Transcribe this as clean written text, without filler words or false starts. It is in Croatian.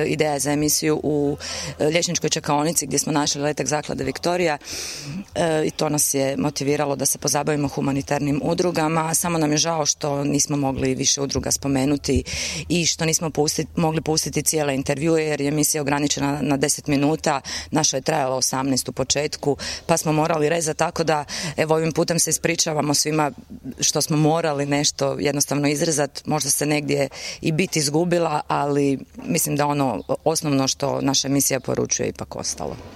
ideja za emisiju u liječničkoj čekaonici gdje smo našli letak Zaklade Viktorija i to nas je motiviralo da se pozabavimo humanitarnim udrugama. Samo nam je žao što nismo mogli više udruga spomenuti i što nismo mogli pustiti cijele intervjue jer je emisija ograničena na 10 minuta. Naša je trajala 18 u početku pa smo morali rezati, tako da evo ovim putem se ispričavamo svima što smo morali nešto jednostavno izrezati. Možda se negdje i bit izgubila, ali mislim da ono osnovno što naša emisija poručuje ipak ostalo.